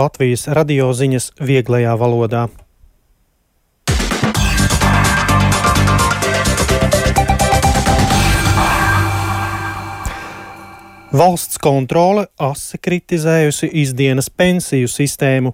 Latvijas radio ziņas vieglajā valodā. Valsts kontrole asi kritizējusi izdienas pensiju sistēmu.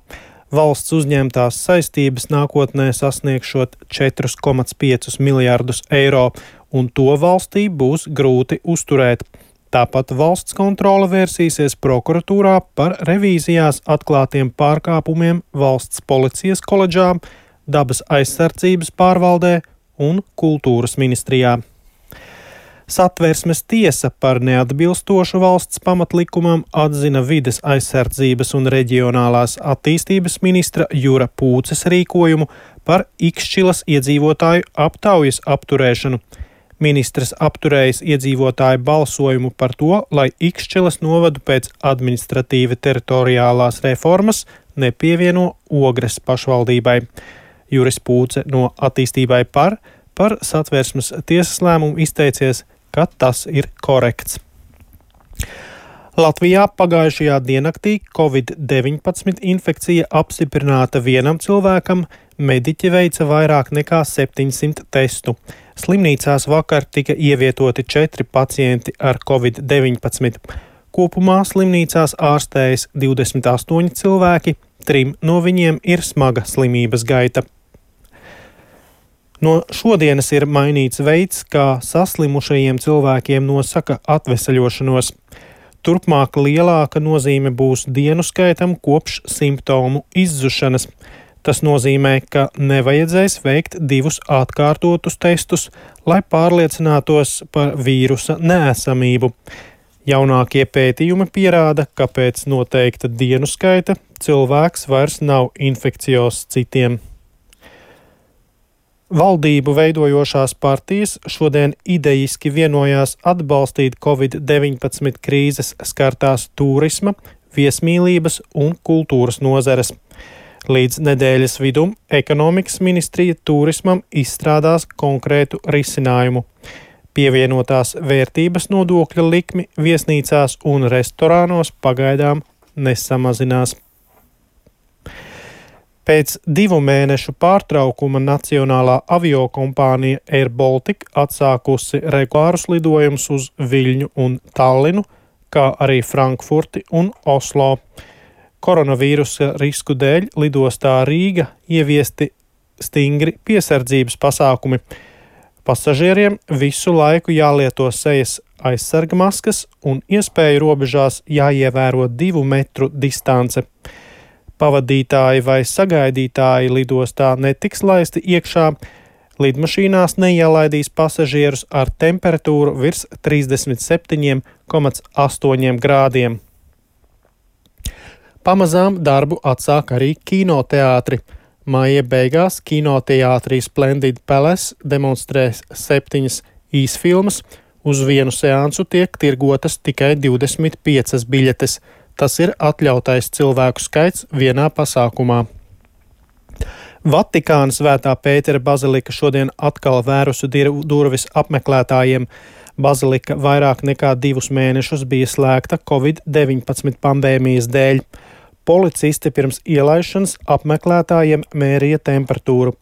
Valsts uzņemtās saistības nākotnē sasniegšot 4,5 miljārdus eiro, un to valstī būs grūti uzturēt. Tāpat valsts kontrole vērsīsies prokuratūrā par revīzijās atklātiem pārkāpumiem valsts policijas koledžā, dabas aizsardzības pārvaldē un kultūras ministrijā. Satversmes tiesa par neatbilstošu valsts pamatlikumam atzina vides aizsardzības un reģionālās attīstības ministra Jura Pūces rīkojumu par Ikšķilas iedzīvotāju aptaujas apturēšanu. Ministrs apturējis iedzīvotāju balsojumu par to, lai Ikšķilas novadu pēc administratīvi teritoriālās reformas nepievieno Ogres pašvaldībai. Juris Pūce no Attīstībai par Satversmes tiesas lēmumu izteicies, ka tas ir korekts. Latvijā pagājušajā diennaktī Covid-19 infekcija apstiprināta vienam cilvēkam, mediķi veica vairāk nekā 700 testu. Slimnīcās vakar tika ievietoti 4 pacienti ar Covid-19. Kopumā slimnīcās ārstējas 28 cilvēki, 3 no viņiem ir smaga slimības gaita. No šodienas ir mainīts veids, kā saslimušajiem cilvēkiem nosaka atveseļošanos. Turpmāk lielāka nozīme būs dienu skaitam kopš simptomu izzušanas. Tas nozīmē, ka nevajadzēs veikt 2 atkārtotus testus, lai pārliecinātos par vīrusa neesamību. Jaunākie pētījumi pierāda, ka pēc noteikta dienu skaita cilvēks vairs nav infekcijos citiem. Valdību veidojošās partijas šodien idejiski vienojās atbalstīt Covid-19 krīzes skartās turisma, viesmīlības un kultūras nozares. Līdz nedēļas vidum ekonomikas ministrija turismam izstrādās konkrētu risinājumu. Pievienotās vērtības nodokļa likmi viesnīcās un restorānos pagaidām nesamazinās. Pēc 2 mēnešu pārtraukuma Nacionālā aviokompānija Air Baltica atsākusi regulārus lidojumus uz Viļņu un Tallinu, kā arī Frankfurti un Oslo. Koronavīrusa risku dēļ lidostā Rīga ieviesti stingri piesardzības pasākumi. Pasažieriem visu laiku jālieto sejas aizsargmaskas un iespēju robežās jāievēro 2 metru distance. Pavadītāji vai sagaidītāji lidostā netiks laisti iekšā, lidmašīnās neielaidīs pasažierus ar temperatūru virs 37,8 grādiem. Pamazām darbu atsāk arī kinoteātri. Maija beigās kinoteātrī Splendid Palace demonstrēs 7 īsfilmas, uz vienu seansu tiek tirgotas tikai 25 biļetes. Tas ir atļautais cilvēku skaits vienā pasākumā. Vatikāna Svētā Pētera bazilika šodien atkal vērusi durvis apmeklētājiem. Bazilika vairāk nekā 2 mēnešus bija slēgta Covid-19 pandēmijas dēļ. Policisti pirms ielaišanas apmeklētājiem mērīja temperatūru.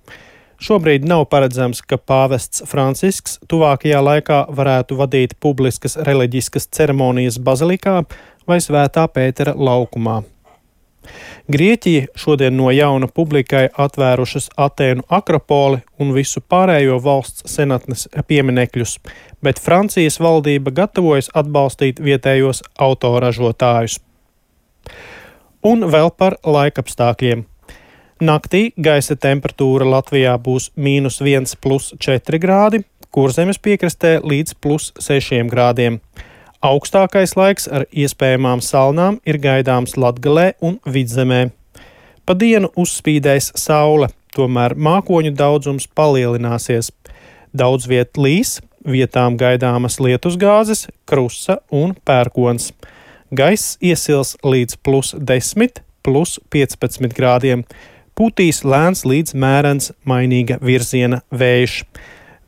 Šobrīd nav paredzams, ka pāvests Francisks tuvākajā laikā varētu vadīt publiskas reliģiskas ceremonijas bazilikā vai Svētā Pētera laukumā. Grieķija šodien no jauna publikai atvērušas Atēnu akropoli un visu pārējo valsts senatnes pieminekļus, bet Francijas valdība gatavojas atbalstīt vietējos autoražotājus. Un vēl par laikapstākļiem. Naktī gaisa temperatūra Latvijā būs -1 + 4 grādi, Kurzemes piekrastē līdz +6 grādiem. Augstākais laiks ar iespējamām salnām ir gaidāms Latgalē un Vidzemē. Pa dienu uzspīdēs saule, tomēr mākoņu daudzums palielināsies. Daudz viet līs, vietām gaidāmas lietusgāzes, krusa un pērkons. Gaiss iesils līdz +10, +15 grādiem. Pūtīs lēns līdz mērens mainīga virziena vējš.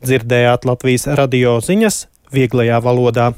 Dzirdējāt Latvijas radio ziņas vieglajā valodā.